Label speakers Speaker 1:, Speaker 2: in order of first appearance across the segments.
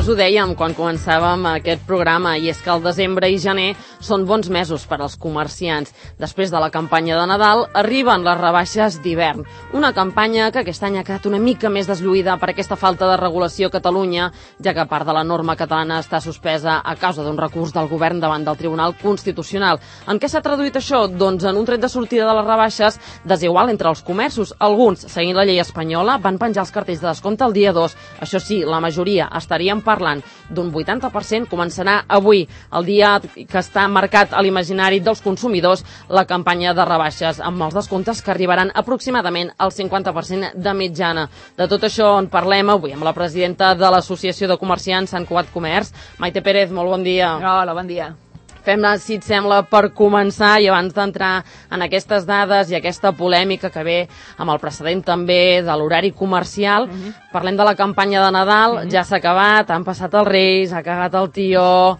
Speaker 1: ho dèiem quan començàvem aquest programa, i és que el desembre i gener són bons mesos per als comerciants. Després de la campanya de Nadal arriben les rebaixes d'hivern, una campanya que aquest any ha quedat una mica més deslluïda per aquesta falta de regulació a Catalunya, ja que part de la norma catalana està suspesa a causa d'un recurs del govern davant del Tribunal Constitucional. En què s'ha traduït això? Doncs en un tret de sortida de les rebaixes desigual entre els comerços. Alguns, seguint la llei espanyola, van penjar els cartells de descompte el dia 2. Això sí, la majoria estaríem parlant d'un 80%. Començarà avui, el dia que està marcat a l'imaginari dels consumidors, la campanya de rebaixes, amb els descomptes que arribaran aproximadament al 50% de mitjana. De tot això en parlem avui amb la presidenta de l'Associació de Comerciants Sant Cugat Comerç, Maite Pérez. Molt bon dia.
Speaker 2: Hola, bon dia.
Speaker 1: Fem-ne, si et sembla, per començar, i abans d'entrar en aquestes dades i aquesta polèmica que ve amb el precedent també de l'horari comercial, parlem de la campanya de Nadal. Ja s'ha acabat, han passat els Reis, ha cagat el tió.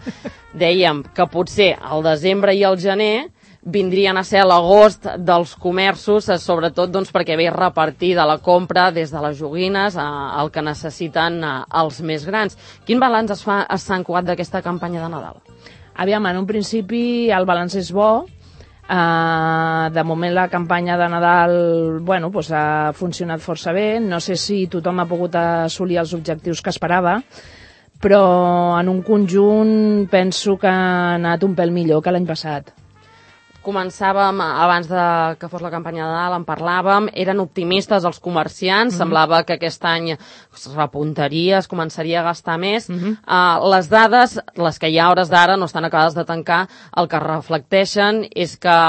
Speaker 1: Dèiem que potser al desembre i al gener vindrien a ser l'agost dels comerços, sobretot doncs, perquè ve repartida la compra des de les joguines al que necessiten els més grans. Quin balanç es fa a Sant Cugat d'aquesta campanya de Nadal?
Speaker 2: Aviam, en un principi el balanç és bo. De moment la campanya de Nadal ha funcionat força bé. No sé si tothom ha pogut assolir els objectius que esperava, però en un conjunt penso que ha anat un pèl millor que l'any passat.
Speaker 1: Començàvem, abans que fos la campanya de Nadal, en parlàvem, eren optimistes els comerciants, semblava que aquest any es repuntaria, es començaria a gastar més. Les dades, les que hi ha a hores d'ara, no estan acabades de tancar, el que reflecteixen és que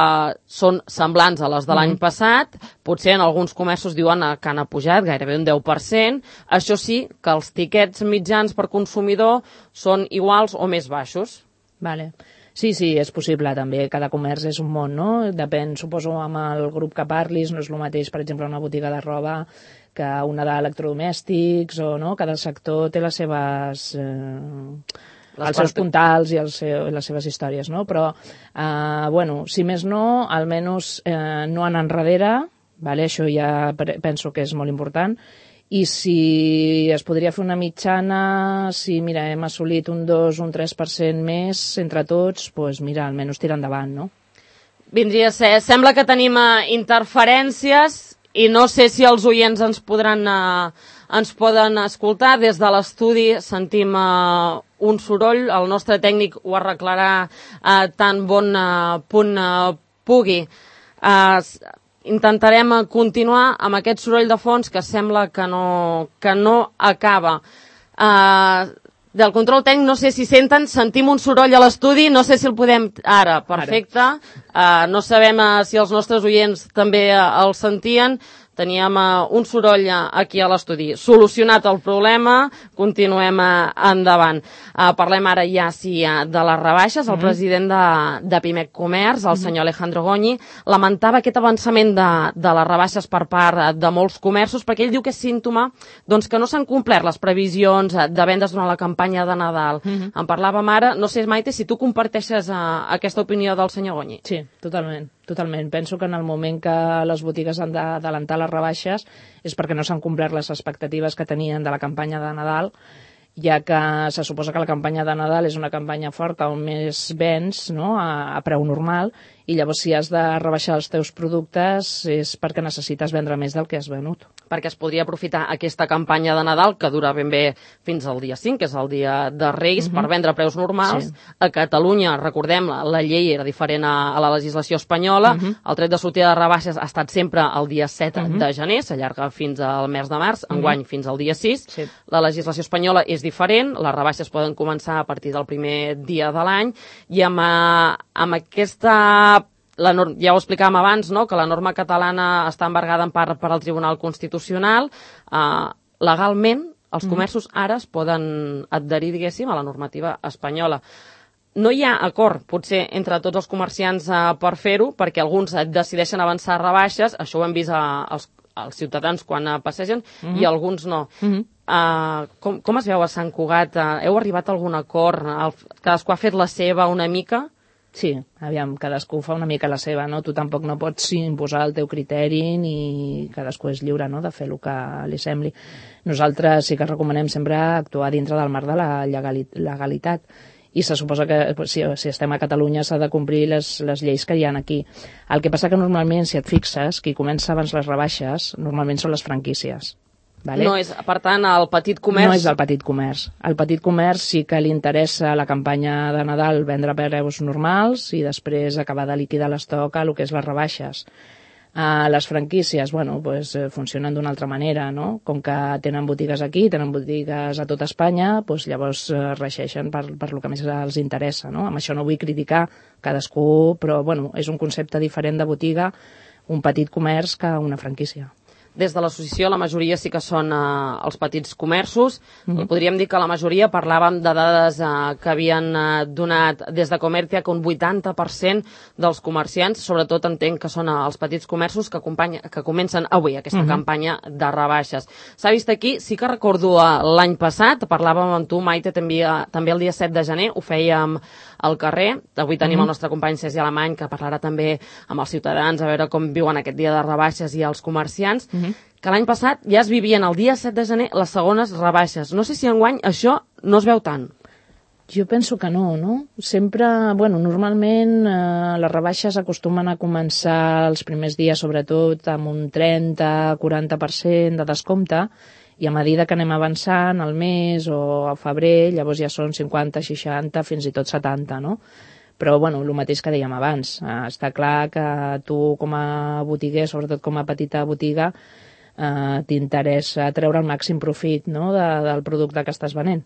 Speaker 1: són semblants a les de l'any passat. Potser en alguns comerços diuen que han pujat gairebé un 10%. Això sí, que els tiquets mitjans per consumidor són iguals o més baixos.
Speaker 2: Vale. Sí, és possible també. Cada comerç és un món, no? Depèn, suposo, amb el grup que parlis. No és el mateix, per exemple, una botiga de roba que una d'electrodomèstics, o no? Cada sector té les seves... els seus puntals i les seves històries, no? Però, si més no, almenys no anar enrere, vale? Això ja penso que és molt important. I si es podria fer una mitjana, si hem assolit un 2, un 3% més entre tots, doncs mira, almenys tirar endavant, no?
Speaker 1: Vindria a ser, sembla que tenim interferències i no sé si els oients ens poden escoltar. Des de l'estudi sentim un soroll, el nostre tècnic ho arreglarà tan bon punt pugui. Intentarem continuar amb aquest soroll de fons que sembla que no acaba. Del control tècnic, no sé si sentim un soroll a l'estudi, no sé si el podem... Ara, perfecte. No sabem si els nostres oients també el sentien. Teníem un soroll aquí a l'estudi. Solucionat el problema, continuem endavant. Parlem ara ja de les rebaixes. El president de Pimec Comerç, el senyor Alejandro Goñi, lamentava aquest avançament de les rebaixes per part de molts comerços, perquè ell diu que és símptoma que no s'han complert les previsions de vendes durant la campanya de Nadal. En parlàvem ara. No sé, Maite, si tu comparteixes aquesta opinió del senyor Goñi.
Speaker 2: Sí, totalment. Penso que en el moment que les botigues han d'adelantar les rebaixes és perquè no s'han complert les expectatives que tenien de la campanya de Nadal, ja que se suposa que la campanya de Nadal és una campanya forta on més vens, no?, a preu normal, i llavors si has de rebaixar els teus productes és perquè necessites vendre més del que has venut.
Speaker 1: Perquè es podria aprofitar aquesta campanya de Nadal, que dura ben bé fins al dia 5, que és el dia de Reis, per vendre a preus normals. A Catalunya, recordem, la llei era diferent a la legislació espanyola. El tret de sortida de rebaixes ha estat sempre el dia 7 de gener, s'allarga fins al mes de març, enguany fins al dia 6. La legislació espanyola és diferent, les rebaixes poden començar a partir del primer dia de l'any, i amb aquesta... Ja ho explicàvem abans, no?, que la norma catalana està embargada en part per al Tribunal Constitucional. Legalment, els comerços ara es poden adherir, diguéssim, a la normativa espanyola. No hi ha acord, potser, entre tots els comerciants per fer-ho, perquè alguns decideixen avançar rebaixes, això ho hem vist als ciutadans quan passegen, i alguns no. Com es veu a Sant Cugat? Heu arribat a algun acord? Cadascú ha fet la seva una mica?
Speaker 2: Sí, aviam, cadascú fa una mica la seva, no? Tu tampoc no pots imposar el teu criteri ni cadascú és lliure, no?, de fer el que li sembli. Nosaltres sí que recomanem sempre actuar dintre del marc de la legalitat i se suposa que si estem a Catalunya s'ha de complir les lleis que hi ha aquí. El que passa que normalment, si et fixes, qui comença abans les rebaixes normalment són les franquícies. Vale?
Speaker 1: No és, per tant, el petit comerç...
Speaker 2: No és el petit comerç. El petit comerç sí que li interessa la campanya de Nadal vendre preus normals i després acabar de liquidar l'estoc a el que és les rebaixes. Les franquícies, bueno, pues, funcionen d'una altra manera, no? Com que tenen botigues aquí, tenen botigues a tot Espanya, pues, llavors regeixen per el que més els interessa, no? Amb això no vull criticar cadascú, però bueno, és un concepte diferent de botiga, un petit comerç que una franquícia.
Speaker 1: Des de l'associació la majoria sí que són els petits comerços. Podríem dir que la majoria, parlàvem de dades que havien donat des de Comercia, que un 80% dels comerciants, sobretot entenc que són els petits comerços que comencen avui aquesta campanya de rebaixes. S'ha vist aquí, sí que recordo l'any passat, parlàvem amb tu, Maite, també el dia 7 de gener, ho fèiem al carrer. Avui tenim el nostre company Sergi Alemany, que parlarà també amb els ciutadans, a veure com viuen aquest dia de rebaixes i els comerciants, que l'any passat ja es vivien el dia 7 de gener les segones rebaixes. No sé si enguany això no es veu tant.
Speaker 2: Jo penso que no, no? Sempre, bueno, normalment les rebaixes acostumen a començar els primers dies, sobretot, amb un 30-40% de descompte, i a mesura que anem avançant al mes o al febrer, llavors ja són 50, 60, fins i tot 70, no? Però, bueno, el mateix que dèiem abans. Està clar que tu, com a botiguer, sobretot com a petita botiga, t'interessa treure el màxim profit, no?, del producte que estàs venent.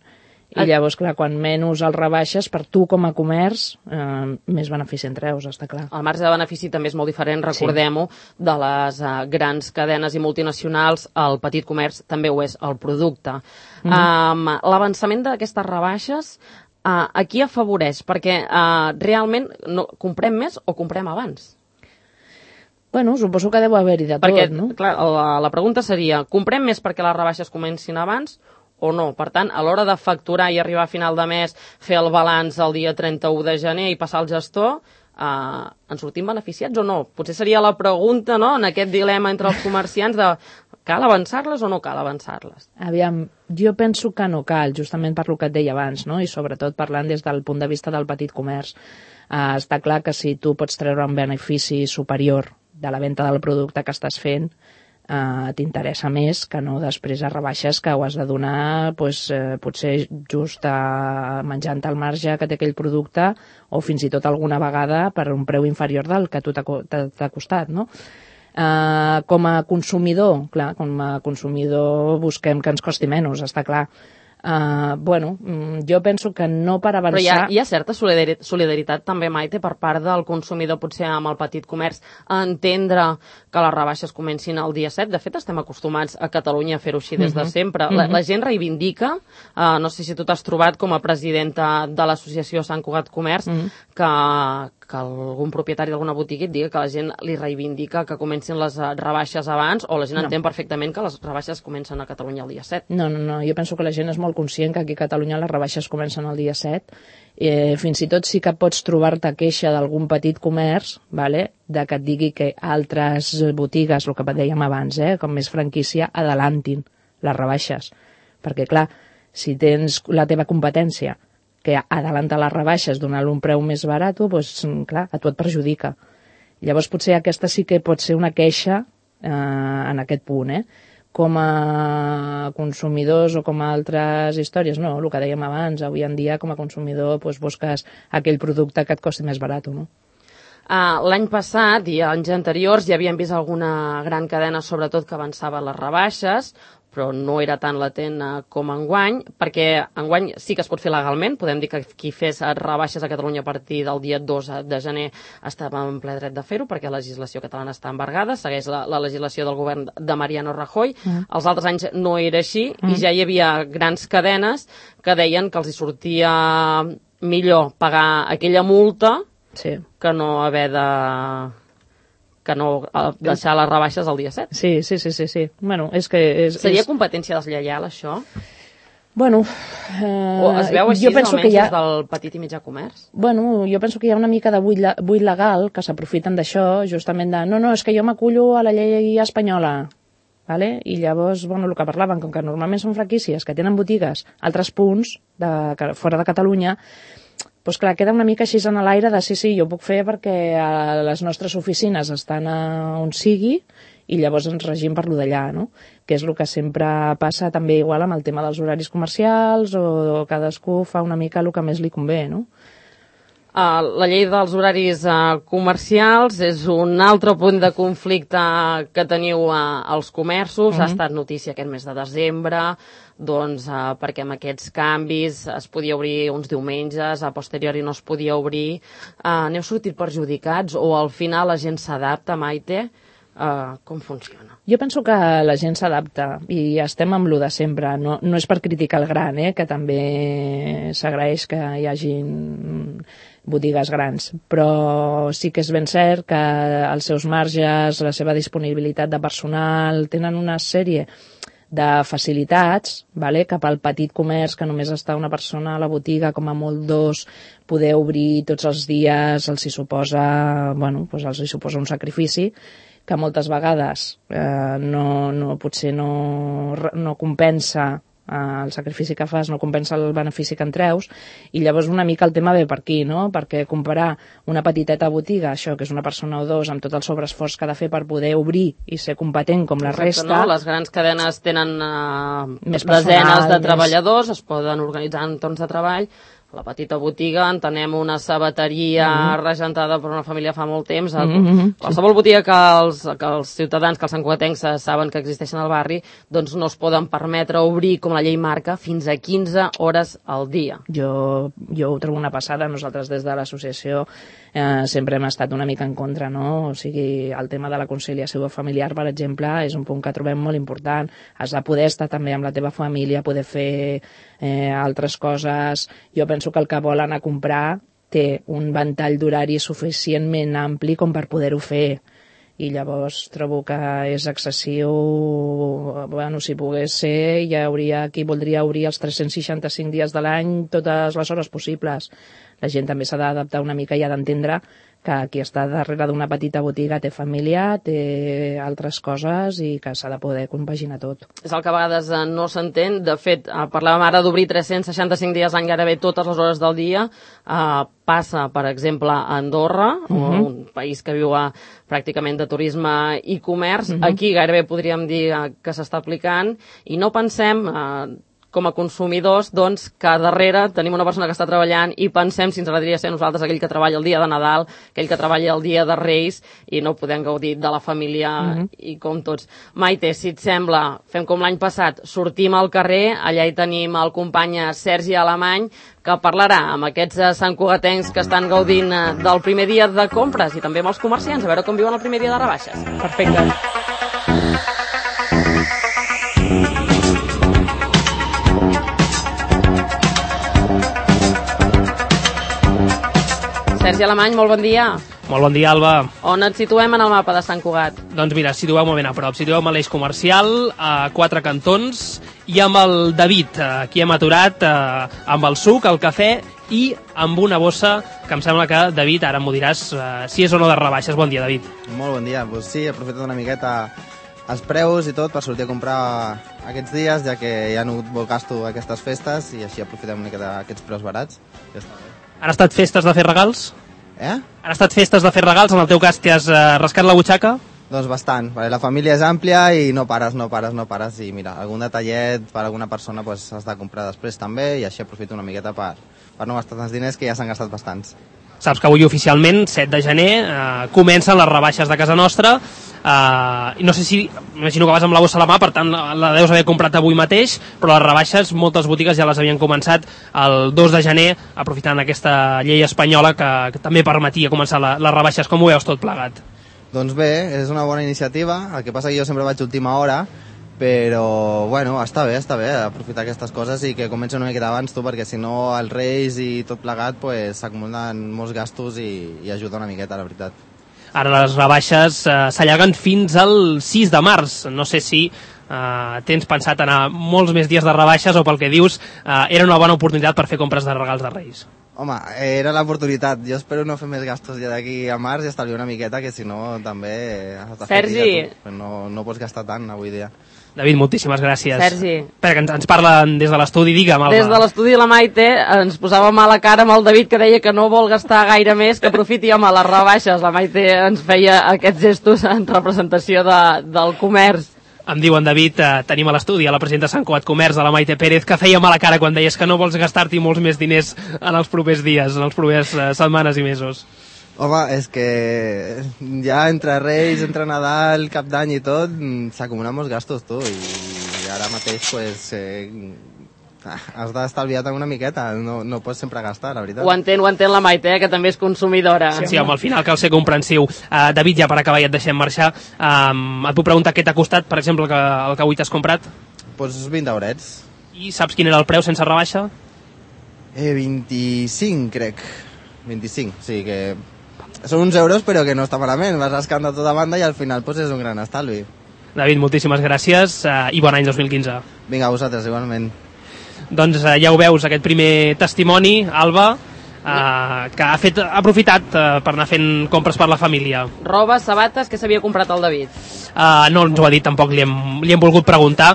Speaker 2: I llavors, clar, quan menys el rebaixes, per tu com a comerç, més benefici en treus, està clar.
Speaker 1: El marge de benefici també és molt diferent, recordem-ho, de les grans cadenes i multinacionals. El petit comerç també ho és, el producte. L'avançament d'aquestes rebaixes, a qui afavoreix? Perquè realment comprem més o comprem abans?
Speaker 2: Bueno, suposo que deu haver-hi de tot, no?
Speaker 1: Clar, la pregunta seria, comprem més perquè les rebaixes comencin abans o no? Per tant, a l'hora de facturar i arribar a final de mes, fer el balanç el dia 31 de gener i passar al gestor, ens sortim beneficiats o no? Potser seria la pregunta, no?, en aquest dilema entre els comerciants de cal avançar-les o no cal avançar-les?
Speaker 2: Aviam, jo penso que no cal, justament per lo que et deia abans, no?, i sobretot parlant des del punt de vista del petit comerç. Està clar que si tu pots treure un benefici superior de la venda del producte que estàs fent, t'interessa més que no després a rebaixes que ho has de donar potser just menjant el marge que té aquell producte o fins i tot alguna vegada per un preu inferior del que tu t'ha costat, no? Com a consumidor, clar, com a consumidor busquem que ens costi menys, està clar. Bueno, jo penso que no per avançar...
Speaker 1: Però hi ha certa solidaritat també, Maite, per part del consumidor, potser amb el petit comerç, a entendre que les rebaixes comencin el dia 7. De fet, estem acostumats a Catalunya a fer-ho així des de sempre. La gent reivindica, no sé si tu t'has trobat com a presidenta de l'associació Sant Cugat Comerç, que algun propietari d'alguna botiga et diga que la gent li reivindica que comencin les rebaixes abans, o la gent entén perfectament que les rebaixes comencen a Catalunya el dia 7.
Speaker 2: No, jo penso que la gent és molt conscient que aquí a Catalunya les rebaixes comencen el dia 7. Fins i tot sí que pots trobar-te queixa d'algun petit comerç, de que et digui que altres botigues, el que dèiem abans, com més franquícia, adelantin les rebaixes. Perquè, clar, si tens la teva competència que adelanta les rebaixes donant-li un preu més barat, doncs, clar, a tu et perjudica. Llavors, potser aquesta sí que pot ser una queixa en aquest punt, Com a consumidors o com a altres històries, no, el que dèiem abans, avui en dia com a consumidor busques aquell producte que et costi més barat, no?
Speaker 1: L'any passat i anys anteriors ja havíem vist alguna gran cadena, sobretot, que avançava les rebaixes, però no era tan latent com enguany, perquè enguany sí que es pot fer legalment. Podem dir que qui fes rebaixes a Catalunya a partir del dia 2 de gener estava en ple dret de fer-ho, perquè la legislació catalana està embargada, segueix la legislació del govern de Mariano Rajoy. Els altres anys no era així i ja hi havia grans cadenes que deien que els hi sortia millor pagar aquella multa que no haver de... que no deixar les rebaixes el dia 7.
Speaker 2: Sí. Bueno, és que...
Speaker 1: Seria competència deslleial, això?
Speaker 2: Bueno,
Speaker 1: o es veu així,
Speaker 2: penso
Speaker 1: almenys,
Speaker 2: que
Speaker 1: des del petit i mitjà comerç?
Speaker 2: Bueno, jo penso que hi ha una mica de buit legal que s'aprofiten d'això, justament de no, és que jo m'acullo a la llei espanyola, vale? I llavors, bueno, el que parlaven, com que normalment són franquícies que tenen botigues a altres punts fora de Catalunya, doncs clar, queda una mica així en l'aire de sí, jo ho puc fer perquè les nostres oficines estan on sigui i llavors ens regim per lo d'allà, no? Que és el que sempre passa també igual amb el tema dels horaris comercials o cadascú fa una mica el que més li convé, no?
Speaker 1: La llei dels horaris comercials és un altre punt de conflicte que teniu als comerços. Ha estat notícia aquest mes de desembre, doncs perquè amb aquests canvis es podia obrir uns diumenges, a posteriori no es podia obrir. N'heu sortit perjudicats o al final la gent s'adapta, Maite? Com funciona?
Speaker 2: Jo penso que la gent s'adapta i estem amb lo de sempre. No és per criticar el gran, que també s'agraeix que hi hagin botigues grans, però sí que és ben cert que els seus marges, la seva disponibilitat de personal, tenen una sèrie de facilitats, vale? Cap al petit comerç, que només està una persona a la botiga, com a molt dos, poder obrir tots els dies els hi suposa un sacrifici que moltes vegades potser no compensa el sacrifici que fas, no compensa el benefici que en treus, i llavors una mica el tema ve per aquí, no? Perquè comparar una petiteta botiga, això que és una persona o dos, amb tot el sobreesforç que ha de fer per poder obrir i ser competent com la resta...
Speaker 1: No? Les grans cadenes tenen desenes de treballadors, es poden organitzar en torns de treball. La petita botiga, entenem una sabateria regentada per una família fa molt temps. Qualsevol botiga que els ciutadans, que els santcugatencs saben que existeixen al barri, doncs no es poden permetre obrir, com la llei marca, fins a 15 hores al dia.
Speaker 2: Jo ho trobo una passada. Nosaltres des de l'associació sempre hem estat una mica en contra, no? O sigui, el tema de la conciliació familiar, per exemple, és un punt que trobem molt important. Has de poder estar també amb la teva família, poder fer altres coses. Jo penso que el que vol anar a comprar té un ventall d'horari suficientment ampli com per poder-ho fer, i llavors trobo que és excessiu. Bueno, si pogués ser, hi hauria qui voldria obrir els 365 dies de l'any totes les hores possibles. La gent també s'ha d'adaptar una mica i ha d'entendre que qui està darrere d'una petita botiga té família, té altres coses i que s'ha de poder compaginar tot.
Speaker 1: És el que a vegades no s'entén. De fet, parlàvem ara d'obrir 365 dies l'any, gairebé totes les hores del dia. Passa, per exemple, a Andorra, un país que viu pràcticament de turisme i comerç. Aquí gairebé podríem dir que s'està aplicant, i no pensem... com a consumidors, doncs, que darrere tenim una persona que està treballant i pensem si ens agradaria ser nosaltres aquell que treballa el dia de Nadal, aquell que treballa el dia de Reis, i no podem gaudir de la família i com tots. Maite, si et sembla, fem com l'any passat, sortim al carrer, allà hi tenim el company Sergi Alemany, que parlarà amb aquests santcugatencs que estan gaudint del primer dia de compres i també amb els comerciants, a veure com viuen el primer dia de rebaixes.
Speaker 2: Perfecte.
Speaker 1: Sergi Alemany, molt bon dia.
Speaker 3: Molt bon dia, Alba.
Speaker 1: On et situem en el mapa de Sant Cugat?
Speaker 3: Doncs mira, situeu-me ben a prop. Situeu-me a l'eix comercial, a 4 cantons, i amb el David. Aquí hem aturat amb el suc, el cafè i amb una bossa que em sembla que, David, ara m'ho diràs si és o no de rebaixes. Bon dia, David.
Speaker 4: Molt bon dia. Pues sí, he aprofitat una miqueta els preus i tot per sortir a comprar aquests dies, ja que hi ha hagut molt gasto aquestes festes, i així aprofitem una miqueta aquests preus barats. Ja està bé.
Speaker 3: Han estat festes de fer regals?
Speaker 4: Han
Speaker 3: estat festes de fer regals? En el teu cas, t'has rascat la butxaca?
Speaker 4: Doncs bastant. La família és àmplia i no pares. I mira, algun detallet per alguna persona pues, has de comprar després també, i així aprofito una miqueta per no gastar tants diners, que ja s'han gastat bastants.
Speaker 3: Saps que avui oficialment, 7 de gener, comencen les rebaixes de casa nostra. No sé si, imagino que vas amb la bossa a la mà, per tant la deus haver comprat avui mateix, però les rebaixes moltes botigues ja les havien començat el 2 de gener, aprofitant aquesta llei espanyola que també permetia començar les rebaixes. Com ho veus tot plegat?
Speaker 4: Doncs bé, és una bona iniciativa. El que passa que jo sempre vaig a última hora, però bueno, està bé aprofitar aquestes coses i que comenci una miqueta abans, perquè si no els Reis i tot plegat s'acumulen molts gastos i ajuda una miqueta, la veritat.
Speaker 3: Ara les rebaixes s'allarguen fins al 6 de març. No sé si tens pensat anar molts més dies de rebaixes o pel que dius era una bona oportunitat per fer compres de regals de Reis?
Speaker 4: Home, era l'oportunitat. Jo espero no fer més gastos ja d'aquí a març i estalviar una miqueta, que si no també has de fer
Speaker 1: Sergi.
Speaker 4: no pots gastar tant avui dia.
Speaker 3: David, moltíssimes gràcies.
Speaker 1: Sergi.
Speaker 3: Espera, que ens parlen des de l'estudi, digue'm, Alba.
Speaker 1: Des de l'estudi la Maite ens posava mala cara amb el David, que deia que no vol gastar gaire més, que aprofiti, home, les rebaixes. La Maite ens feia aquests gestos en representació del comerç.
Speaker 3: Em diuen, David, tenim a l'estudi a la presidenta de Sant Cugat Comerç, a la Maite Pérez, que feia mala cara quan deies que no vols gastar-t'hi molts més diners en els propers dies, en els propers setmanes i mesos.
Speaker 4: Home, és que ja entre Reis, entre Nadal, Cap d'Any i tot, s'acumulen molts gastos, tu, i ara mateix, pues, has d'estalviar una miqueta, no pots sempre gastar, la veritat.
Speaker 1: Ho entén la Maite, que també és consumidora.
Speaker 3: Sí, home, al final cal ser comprensiu. David, ja per acabar ja et deixem marxar. Et puc preguntar què t'ha costat, per exemple, el que avui t'has comprat?
Speaker 4: Pues 20 eurets.
Speaker 3: I saps quin era el preu sense rebaixa?
Speaker 4: 25, crec. 25, sí, que són uns euros però que no està malament, vas rascant de tota banda i al final pues, és un gran estalvi.
Speaker 3: David, moltíssimes gràcies i bon any 2015.
Speaker 4: Vinga, a vosaltres, igualment.
Speaker 3: Doncs ja ho veus, aquest primer testimoni, Alba, que ha aprofitat per anar fent compres per la família.
Speaker 1: Roba, sabates, que s'havia comprat el David?
Speaker 3: No ens ho ha dit, tampoc li hem volgut preguntar.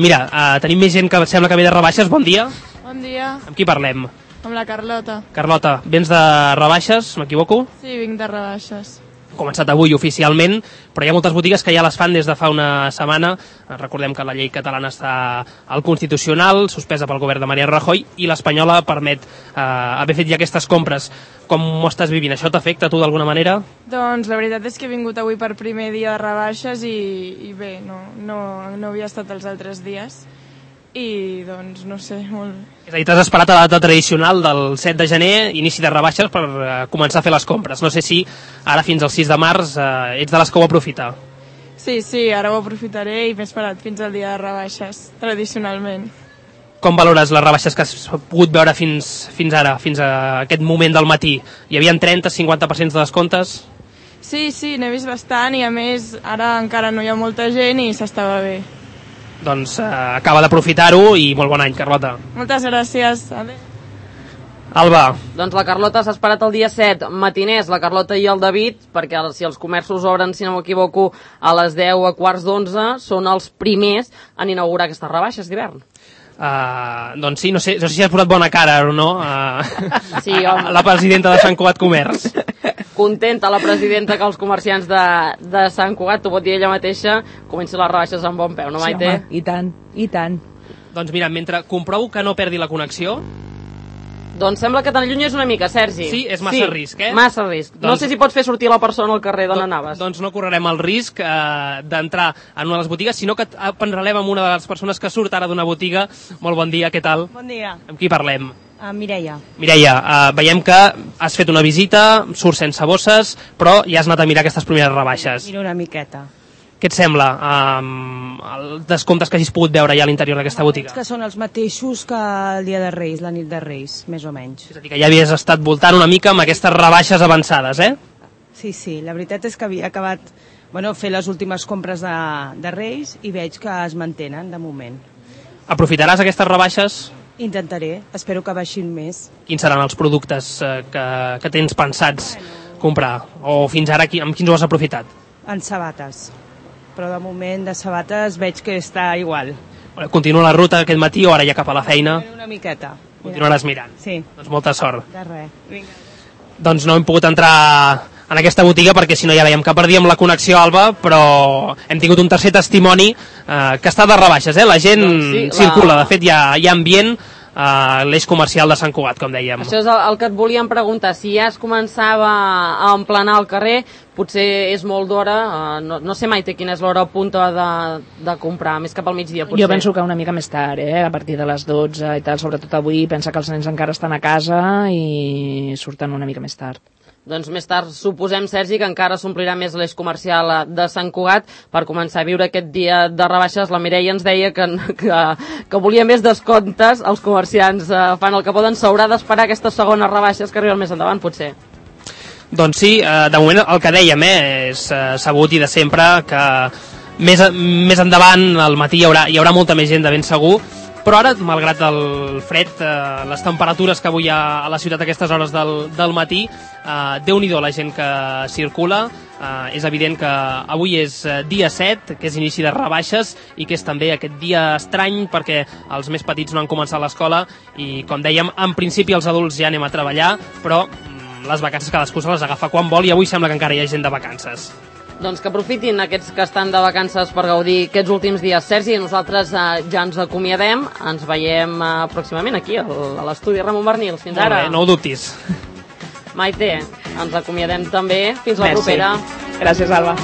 Speaker 3: Mira, tenim més gent que sembla que ve de rebaixes. Bon dia.
Speaker 5: Bon dia,
Speaker 3: Amb qui parlem?
Speaker 5: amb la Carlota.
Speaker 3: Carlota, vens de rebaixes, m'equivoco?
Speaker 5: Sí, vinc de rebaixes.
Speaker 3: Ha començat avui oficialment, però hi ha moltes botigues que ja les fan des de fa una setmana. Recordem que la llei catalana està al Constitucional, suspesa pel govern de Mariano Rajoy, i l'espanyola permet haver fet ja aquestes compres. Com ho estàs vivint? Això t'afecta a tu d'alguna manera?
Speaker 5: Doncs la veritat és que he vingut avui per primer dia de rebaixes i bé, no havia estat els altres dies. I doncs no sé, molt...
Speaker 3: És a dir, t'has esperat a la data tradicional del 7 de gener, inici de rebaixes, per començar a fer les compres. No sé si ara fins al 6 de març ets de les que ho aprofita.
Speaker 5: Sí, ara ho aprofitaré i m'he esperat fins al dia de rebaixes, tradicionalment.
Speaker 3: Com valores les rebaixes que has pogut veure fins ara, fins a aquest moment del matí? Hi havia 30-50% de descomptes?
Speaker 5: Sí, n'he vist bastant i a més ara encara no hi ha molta gent i s'estava bé.
Speaker 3: Doncs acaba d'aprofitar-ho i molt bon any, Carlota.
Speaker 5: Moltes gràcies. Adéu.
Speaker 3: Alba.
Speaker 1: Doncs la Carlota s'ha esperat el dia 7, matiners, la Carlota i el David, perquè si els comerços obren, si no m'equivoco, a les 10 a quarts d'11, són els primers en inaugurar aquestes rebaixes d'hivern.
Speaker 3: Doncs sí, no sé si has posat bona cara o no
Speaker 1: Sí, home.
Speaker 3: la presidenta de Sant Cugat Comerç.
Speaker 1: Contenta la presidenta que els comerciants de Sant Cugat, t'ho pot dir ella mateixa, comencen les rebaixes amb bon peu, no, Maite?
Speaker 2: Sí, home, i tant.
Speaker 3: Doncs mira, mentre comprovo que no perdi la connexió...
Speaker 1: Doncs sembla que t'allunyes una mica, Sergi.
Speaker 3: Sí, és massa risc, eh?
Speaker 1: Massa risc. No sé si pots fer sortir la persona al carrer d'on anaves.
Speaker 3: Doncs no correrem el risc d'entrar en una de les botigues, sinó que parlem amb una de les persones que surt ara d'una botiga. Molt bon dia, què tal?
Speaker 6: Bon dia.
Speaker 3: Amb qui parlem?
Speaker 6: Mireia.
Speaker 3: Mireia, veiem que has fet una visita, surts sense bosses, però ja has anat a mirar aquestes primeres rebaixes.
Speaker 6: Miro una miqueta.
Speaker 3: Què et sembla els descomptes que hagis pogut veure ja a l'interior d'aquesta botiga?
Speaker 6: Que són els mateixos que el dia de Reis, la nit de Reis, més o menys.
Speaker 3: És a dir, que ja havies estat voltant una mica amb aquestes rebaixes avançades, eh?
Speaker 6: Sí, la veritat és que havia acabat fer les últimes compres de Reis i veig que es mantenen de moment.
Speaker 3: Aprofitaràs aquestes rebaixes?
Speaker 6: Intentaré, espero que baixin més.
Speaker 3: Quins seran els productes que tens pensats comprar? O fins ara amb quins ho has aprofitat?
Speaker 6: En sabates. Però de moment de sabates veig que està igual.
Speaker 3: Continua la ruta aquest matí o ara ja cap a la feina?
Speaker 6: Una miqueta.
Speaker 3: Continuaràs mirant?
Speaker 6: Sí.
Speaker 3: Doncs molta sort.
Speaker 6: De res. Vinga.
Speaker 3: Doncs no hem pogut entrar en aquesta botiga perquè si no ja veiem que perdíem la connexió, Alba, però hem tingut un tercer testimoni que està de rebaixes, eh? La gent circula, de fet hi ha ambient a l'eix comercial de Sant Cugat, com dèiem.
Speaker 1: Això és el que et volíem preguntar, si ja es començava a emplenar el carrer, potser és molt d'hora, no sé, Maite, quina és l'hora punta de comprar, més cap al migdia, potser.
Speaker 2: Jo penso que una mica més tard, a partir de les 12 i tal, sobretot avui, pensa que els nens encara estan a casa i surten una mica més tard.
Speaker 1: Doncs més tard suposem, Sergi, que encara s'omplirà més l'eix comercial de Sant Cugat per començar a viure aquest dia de rebaixes. La Mireia ens deia que volia més descomptes. Els comerciants fan el que poden, s'haurà d'esperar aquestes segones rebaixes que arriben més endavant, potser.
Speaker 3: Doncs sí, de moment el que dèiem és sabut i de sempre que més endavant, al matí, hi haurà molta més gent de ben segur, però ara, malgrat el fred, les temperatures que avui hi ha a la ciutat a aquestes hores del matí, Déu-n'hi-do la gent que circula. És evident que avui és dia 7, que és inici de rebaixes i que és també aquest dia estrany perquè els més petits no han començat l'escola i, com dèiem, en principi els adults ja anem a treballar, però les vacances cadascú se les agafa quan vol i avui sembla que encara hi ha gent de vacances.
Speaker 1: Doncs que aprofitin aquests que estan de vacances per gaudir aquests últims dies. Sergi, nosaltres ja ens acomiadem, ens veiem pròximament aquí a l'estudi Ramon Bernil. Fins ara.
Speaker 3: Molt bé, no ho dubtis.
Speaker 1: Maite, ens acomiadem també. Fins la propera.
Speaker 2: Gràcies, Alba.